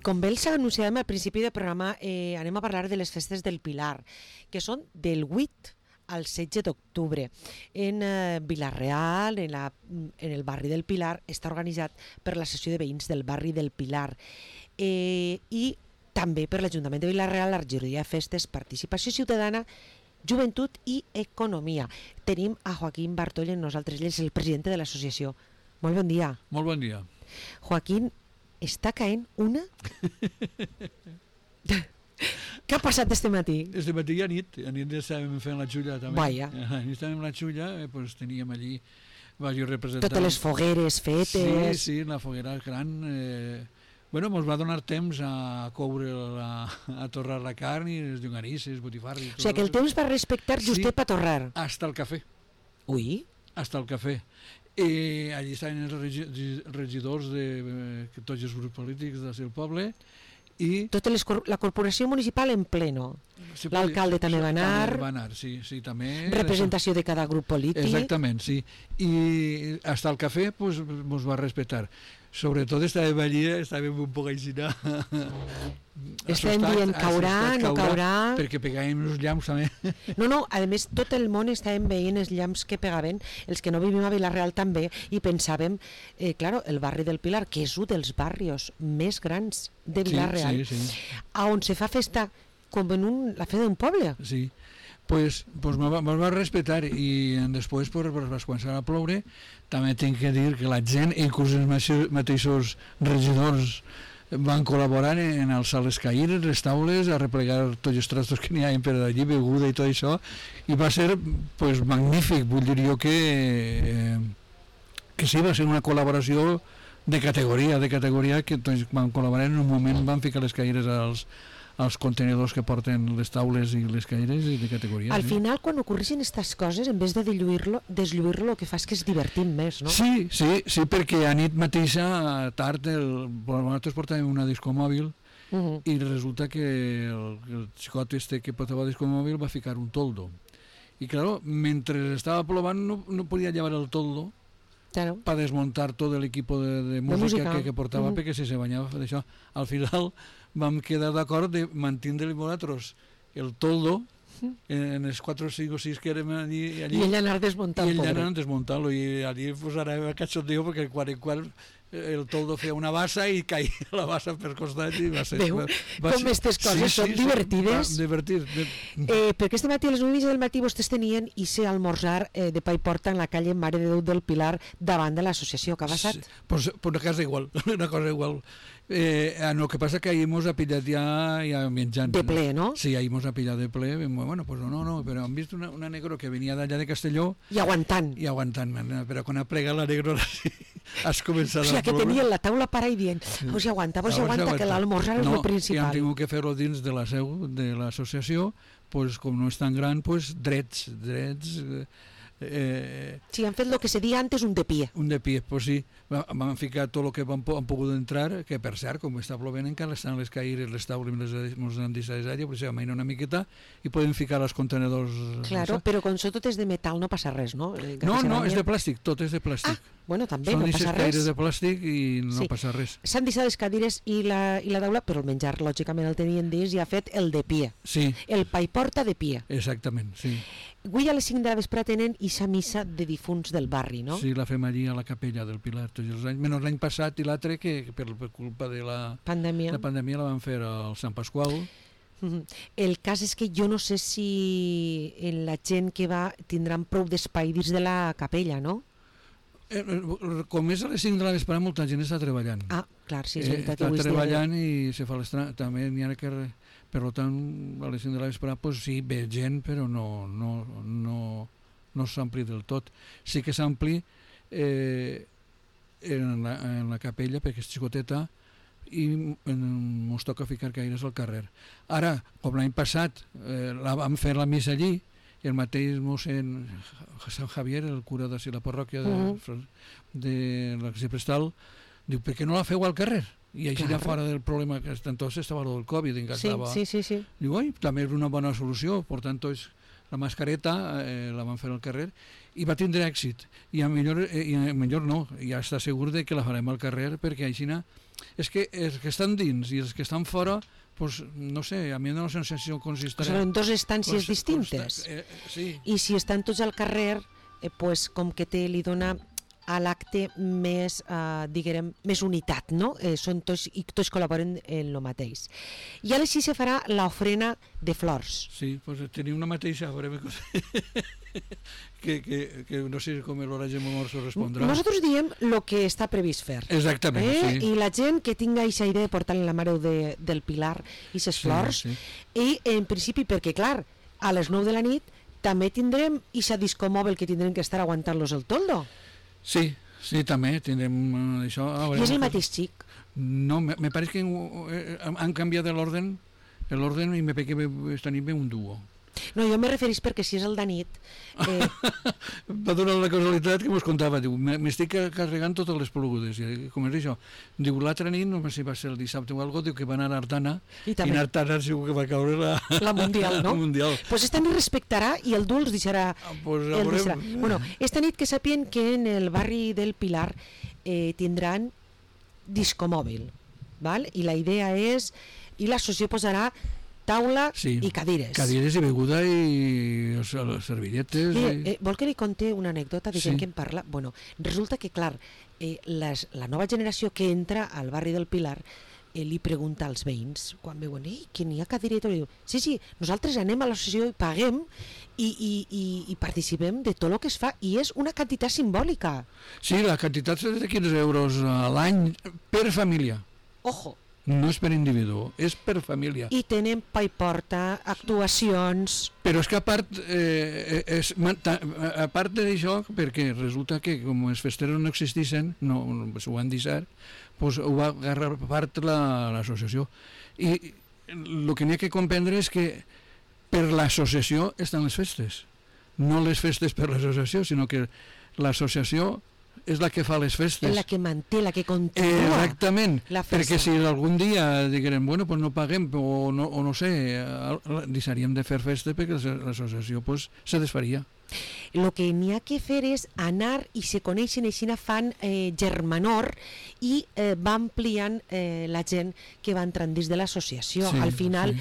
com bé els anunciàvem al principi del programa, anem a parlar de les festes del Pilar, que són del 8 al 16 d'octubre. En Vila-real, en el barri del Pilar, està organitzat per l'associació de veïns del barri del Pilar i també per l'Ajuntament de Vila-real, la regidoria de festes, participació ciutadana, joventut i economia. Tenim a Joaquín Bartoll amb nosaltres, ell és el president de l'associació. Molt bon dia. Molt bon dia. Joaquín, està caent una? Què ha passat este matí? Este matí a nit estàvem fent la xulla també. Vaja. A nit estàvem la xulla, pues teníem allí diversos representants. Totes les fogueres fetes. Sí, la foguera gran. Bueno, ens va donar temps a coure, a torrar la carn i les llonganisses, botifarres. O sigui que el temps va respectar justet per torrar. Hasta el cafè. Ui. Hasta el cafè. Allí estaven els regidors de tots els grups polítics del poble i la corporació municipal en pleno. L'alcalde també va anar. Va anar, sí, també. Representació de cada grup polític. Exactament, sí. I hasta el cafè pues, ens va respectar. Sobretot estàvem allí, estàvem un poc així estàvem dient caurà, no caurà, perquè pegàvem els llamps també. No, a més tot el món estàvem veient els llamps que pegaven, els que no vivim a Vila-real també, i pensàvem, claro, el barri del Pilar, que és un dels barrios més grans de Vila-real, sí. A on se fa festa com en la festa d'un poble. Sí, pues me'l va respectar i després pues, va començar a ploure. També tinc que dir que la gent, inclús els mateixos regidors, van col·laborar en alçar les caires, les taules, a replegar tots els trastos que n'hi ha per allí, beguda i tot això, i va ser pues, magnífic. Vull dir jo que sí, va ser una col·laboració de categoria que doncs, van col·laborar en un moment, van ficar les caires als contenidors que porten les taules i les caires i de categoria. Al final, quan ocorreixen aquestes coses, en vez de deslluir-lo, el que fa és que es divertim més, no? Sí, perquè a nit mateixa, tard, nosaltres portàvem una discomòbil i resulta que el xicot que portava discomòbil va ficar un toldo. I, clar, mentre estava plovant no podia llevar el toldo para desmontar todo el equipo de música que portava perquè si se banyava d'això. Al final vam quedar d'acord de mantindre nosaltres el toldo en els 4, 5 o 6 que érem allí i ell anar desmuntant-lo i allí pues, ara va cachondeo perquè quan el toldo feia una bassa i caia la bassa per costat i va ser... Veu, com aquestes coses són divertides. Perquè este matí a les 9 del matí vostès tenien i ser almorzar de pa i porta en la calle Mare de Déu del Pilar davant de l'associació. Què ha passat? Pues una cosa igual. El que passa que ahir mos ha pillat ja menjant. De ple, no? Sí, ahir mos ha pillat de ple. Bueno, pues no, però hem vist una negro que venia d'allà de Castelló. I aguantant, però quan ha plegat la negro has començat a... O sigui, que tenien la taula para i dient, vos hi aguanta, que l'almorzar és el principal. I hem tingut que fer-ho dins de la seu de l'associació, pues, com no és tan gran, pues, drets. Sí, han fet el que se dia antes un de pie. Un de pie, pues sí. Vam ficar tot el que han pogut entrar, que per cert, com està plovent encara estan les caires, les taules, ens han deixat d'aigua, però s'ha mainat una miqueta i podem ficar els contenedors. Claro, però com tot és de metal no passa res, no? No, és de plàstic, tot és de plàstic. Bueno, també no passa res. Són caires de plàstic i no passa res. S'han deixat les cadires i la taula, però el menjar lògicament el tenien dins i ha fet el de pie. Sí. El pa i porta de pie. Exactament, sí. Avui a les 5 de la vespre tenen ixa missa de difunts del barri, no? Sí, la fem allí a la capella del Pilar tots els anys, menys l'any passat i l'altre que per culpa de la pandèmia la van fer al Sant Pasqual. El cas és que jo no sé si la gent que va tindran prou d'espai dins de la capella, no? Com és a les 5 de la vesprada, molta gent està treballant. Ah, clar, sí, és veritat. Està treballant i se fa també n'hi ha que... Per tant, a les 5 de la vesprada, pues sí, ve gent, però no s'ampli del tot. Sí que s'ampli en la capella, perquè és xicoteta, i ens toca ficar caires al carrer. Ara, com l'any passat, vam fer la missa allí, i el mateix mossèn Sant Javier, el cura de la parròquia de l'Arxiprestal, diu, per què no la feu al carrer? I així ja fora del problema que entonces estava el Covid, sí. Diu, també és una bona solució, per tant, la mascareta la van fer al carrer i va tindre èxit, i millor no, ja està segur de que la farem al carrer, perquè així és que els que estan dins i els que estan fora, pues, no sé, a mi em dona una sensació consistent. Són dues estàncies distintes. Sí. I si estan tots al carrer, pues, com que li dona a l'acte més, diguem, més unitat, no? Són tots, i tots col·laboren en el mateix. I ara sí se farà l'ofrena de flors. Sí, pues tenia una mateixa, a veure, que no sé com l'Horaci Momorso respondrà. Nosaltres diem el que està previst fer. Exactament, sí. I la gent que tinga aquesta idea de portar la Mare del Pilar i ses flors, i en principi, perquè clar, a les 9 de la nit també tindrem aquesta disco mòbil que tindrem que estar aguantant-los el toldo. Sí, també tindrem això. I és el mateix xic? No, me pareix que han canviat l'ordre i me pareix que esta nit ve un duo. No, jo me referís perquè si és el de nit... Va donar la casualitat que mos contava, diu, m'estic carregant totes les plogudes, com és això? Diu, l'altra nit, no sé si va ser el dissabte o alguna cosa, diu que va anar a Artana, i en Artana segur que va caure la Mundial, no? La Mundial. Pues esta nit respectarà i el dur els deixarà... Bueno, esta nit que sapien que en el barri del Pilar tindran discomòbil, val? I la idea és... I l'associació posarà taula i cadires. Cadires i beguda i servilletes. Vol que li conte una anècdota de gent que em parla? Bueno, resulta que, clar, la nova generació que entra al barri del Pilar li pregunta als veïns, quan veuen, que n'hi ha cadireta, i diu, sí, nosaltres anem a l'associació i paguem i participem de tot el que es fa, i és una quantitat simbòlica. Sí, la quantitat és de 15 euros a l'any per família. Ojo! No és per individu, és per família. I tenen pa i porta, actuacions... Però és que a part d'això, perquè resulta que com els festeros no existissin, no ho han deixat, doncs ho va agarrar part l'associació. I el que n'hi ha que comprendre és que per l'associació estan les festes. No les festes per l'associació, sinó que l'associació és la que fa les festes. És la que manté, la que continua. Exactament, perquè si algun dia diguem, bueno, pues no paguem o no sé, deixaríem de fer festes perquè l'associació pues, se desfaria. El que n'hi ha que fer és anar i se coneixen, així fan germanor i va ampliant la gent que va entrant dins de l'associació. Al final,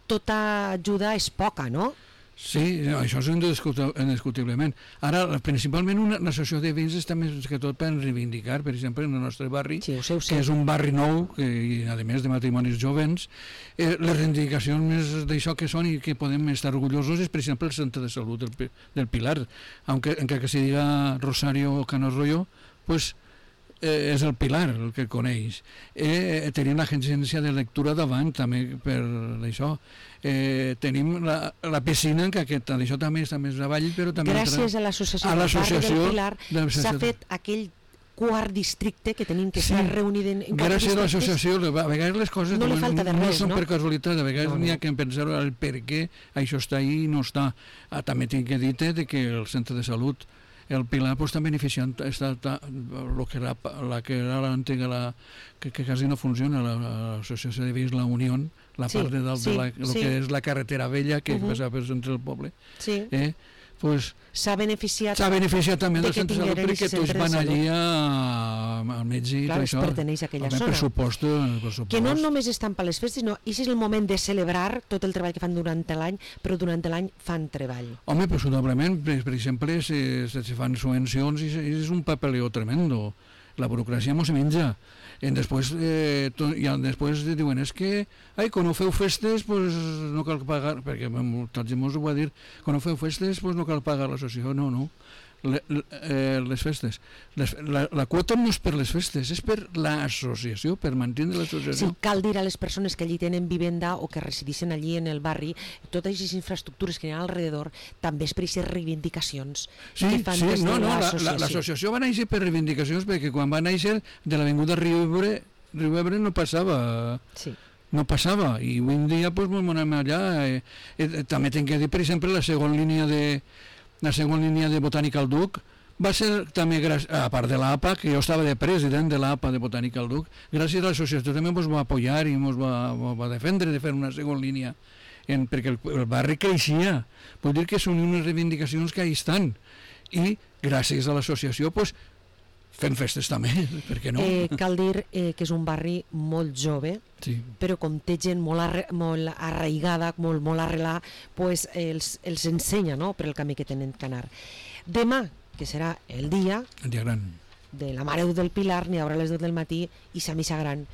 tota ajuda és poca, no? Sí, això és indiscutiblement. Ara, principalment, una associació de veïns està més que tot per reivindicar, per exemple, en el nostre barri, que és un barri nou, i a més de matrimonis jovens, les reivindicacions més d'això que són i que podem estar orgullosos és, per exemple, el centre de salut del Pilar, encara que se diga Rosario Canos-Royo, pues és el Pilar el que coneix. Tenim l'agència de lectura davant també per això. Tenim la piscina, que això també està més avall, però també... Gràcies a l'associació del barri del Pilar s'ha fet aquell quart districte que tenim que estar reunit en quatre districtes. Gràcies a l'associació, a vegades les coses no són per casualitat, a vegades n'hi ha que pensar el per què això està ahí i no està. També tinc que dir que el centre de salut el Pilar està beneficiant el que era l'antiga, que quasi no funciona, l'associació de veïns La Unió, la part de dalt de el que és la carretera vella que passava pel centre del poble. S'ha beneficiat també del centre de salut perquè tots van allí al metge i tot això. Perteneix a aquella zona. Pressupost. Que no només estan per les festes, no, i és el moment de celebrar tot el treball que fan durant l'any, però durant l'any fan treball. Home, presumablement, per exemple, se fan subvencions i és un papeleo tremendo. La burocràcia no se menja. Després diuen, és que quan no feu festes pues no cal pagar, perquè molta gent ens ho va dir, quan no feu festes pues no cal pagar l'associació. No, les festes, la quota no és per les festes, és per l'associació, per mantenir l'associació. Sí, cal dir a les persones que allí tenen vivenda o que resideixen allí en el barri, totes aquestes infraestructures que hi ha alrededor també és per aquestes reivindicacions que fan des de l'associació. L'associació va néixer per reivindicacions, perquè quan va néixer de l'avinguda Riu Ebre no passava. Sí. No passava, i avui en dia pues, anem allà. També tinc que dir, per exemple, la segona línia de Botànica al Duc va ser també, a part de l'APA, que jo estava de president de l'APA de Botànica al Duc, gràcies a l'associació també ens va apoyar i ens va defendre de fer una segona línia, perquè el barri creixia. Vull dir que són unes reivindicacions que hi estan, i gràcies a l'associació pues, fent festes també, per què no? Cal dir que és un barri molt jove, Sí. però com té gent molt arraigada, molt arrelada, pues els ensenya, no?, per el camí que tenen que anar. Demà, que serà el dia El dia gran. de la Mare del Pilar, n'hi haurà a les 2 del matí i sa missa gran,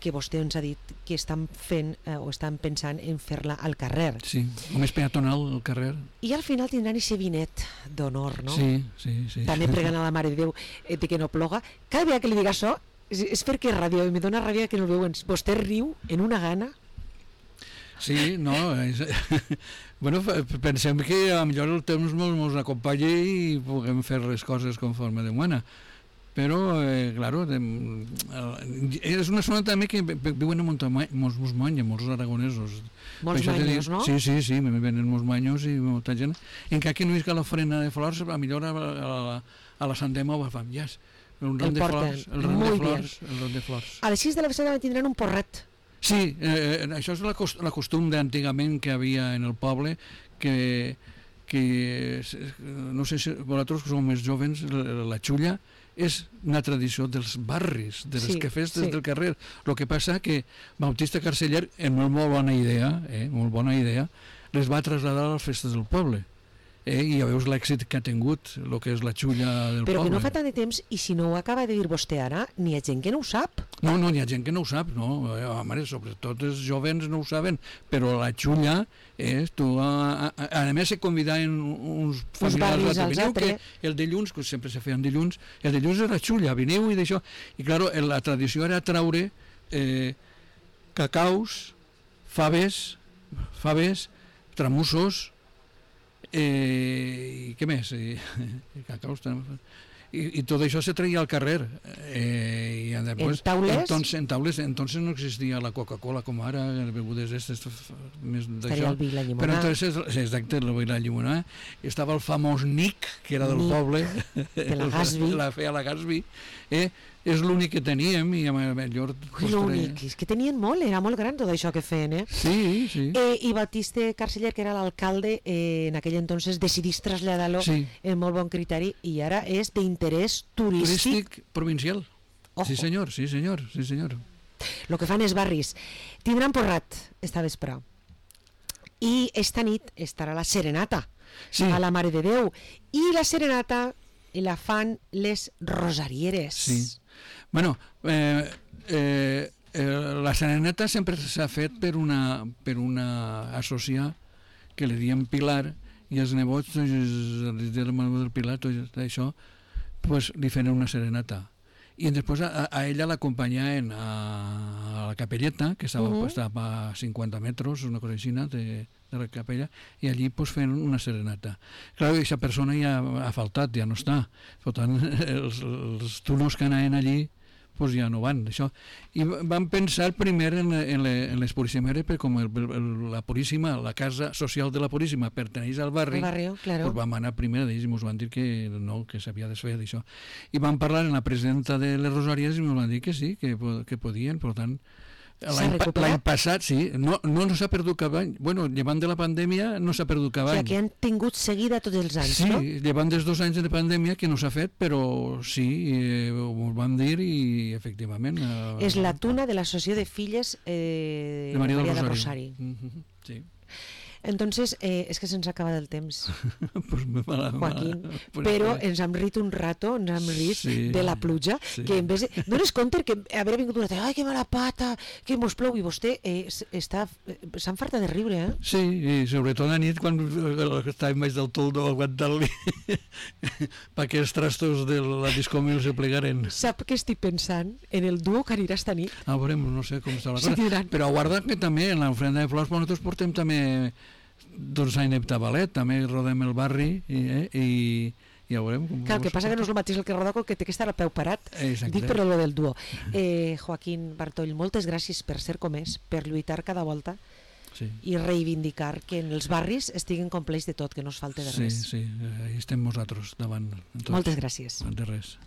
que vostè ens ha dit que estan fent o estan pensant en fer-la al carrer. Sí, o més peatonal al carrer. I al final tindran aquest vinet d'honor, no? Sí, sí, sí. També pregant a la Mare de Déu de que no ploga. Cada vegada que li diga això és perquè és ràdio i me dona ràbia que no el veuen. Vostè riu en una gana. Sí, no, bueno, pensem que a millor el temps ens acompanya i puguem fer les coses conforme demana. Però, claro, és una zona també que viuen molts manyos, molts aragonesos. Molts manyos, no? Sí, sí, sí, venen molts manyos i molta gent. Encara que no és que la frena de flors, a millor a la Sant Dema ho fan, ja, el ram de flors, el ram de flors. A les 6 de la vesprada tindran un porret. Sí, això és la costum d'antigament que havia en el poble, que no sé si vosaltres que sou més jovens, la xulla és una tradició dels barris, de les festes del carrer. El que passa que Bautista Carceller, en molt bona idea, les va traslladar a les festes del poble. I ja veus l'èxit que ha tingut, el que és la xulla del poble. Però que no fa tant de temps, i si no ho acaba de dir vostè ara, n'hi ha gent que no ho sap. No, n'hi ha gent que no ho sap, no. Home, sobretot els jovens no ho saben, però la xulla és... A més, se convidaven uns familiars a venir, que el dilluns, que sempre se feien dilluns, el dilluns era xulla, veniu i d'això. I, clar, la tradició era traure cacaus, faves, tramussos, i què més? Cacaus, i tot això se traia al carrer. En taules? En taules, entonces no existia la Coca-Cola com ara, begudes més d'això. Estaria el vi i la llimonada. Però entonces, exacte, el vi i la llimonada. Estava el famós Nic, que era del poble. De la Gasby. La feia la Gasby. És l'únic que teníem i millor... L'únic, és que tenien molt, era molt gran tot això que feien, Sí, sí. I Bautista Carceller, que era l'alcalde, en aquell entonces decidís traslladar-lo en molt bon criteri i ara és d'interès turístic provincial. Ojo. Sí senyor, sí senyor, sí senyor. El que fan els barris. Tindran porrat esta vespre. I esta nit estarà la serenata a la Mare de Déu. I la serenata la fan les rosarieres. Sí. Bueno, la serenata sempre s'ha fet per una associar que li diem Pilar i els nebots del Pilar, tot això, pues, li feien una serenata. I després a ella l'acompanyaven a la capelleta, que estava a 50 metres, una cosa així, de la capella, i allí pues, feien una serenata. Clar, aquesta persona ja ha faltat, ja no està. Per tant, els turnos que anaven allí pues ja no van, això. I vam pensar primer en les Puríssimeres, perquè com la Puríssima, la casa social de la Puríssima perteneix al barri, claro. Pues vam anar primer d'ells i ens van dir que no, que s'havia de fer d'això. I vam parlar amb la presidenta de les Rosàries i ens van dir que sí, que podien, per tant, l'any passat, sí, no s'ha perdut cap any. Bueno, llevant de la pandèmia no s'ha perdut cap any. O sigui, que han tingut seguida tots els anys, no? Sí, llevant dels 2 anys de pandèmia que no s'ha fet, però sí, ho vam dir i efectivament... És la tuna de l'Associació de Filles de Maria del Rosari. Sí. Entonces, és que se'ns acaba el temps, Joaquín, però ens hem rit un rato, ens hem rit de la pluja, que en vez de... Dones compte que haver vingut una ai, que mala pata, que mos plou, i vostè s'ha enfartat de riure, Sí, i sobretot a nit, quan estàvem baix del toldo aguantant-li perquè els trastos de la discòmil se plegaren. Sap què estic pensant? En el duo que anirà esta nit. Veurem, no sé com està la cosa. Però guarda que també en l'ofrenda de flors nosaltres portem també any de ballet, també rodem el barri i ja veurem. Clar, el que passa que no és el mateix el que roda que té que estar al peu parat. Dic per lo del duo. Joaquín Bartoll, moltes gràcies per ser com és, per lluitar cada volta i reivindicar que en els barris estiguin complets de tot, que no es falte de res. Sí, estem nosaltres davant. Moltes gràcies. De res.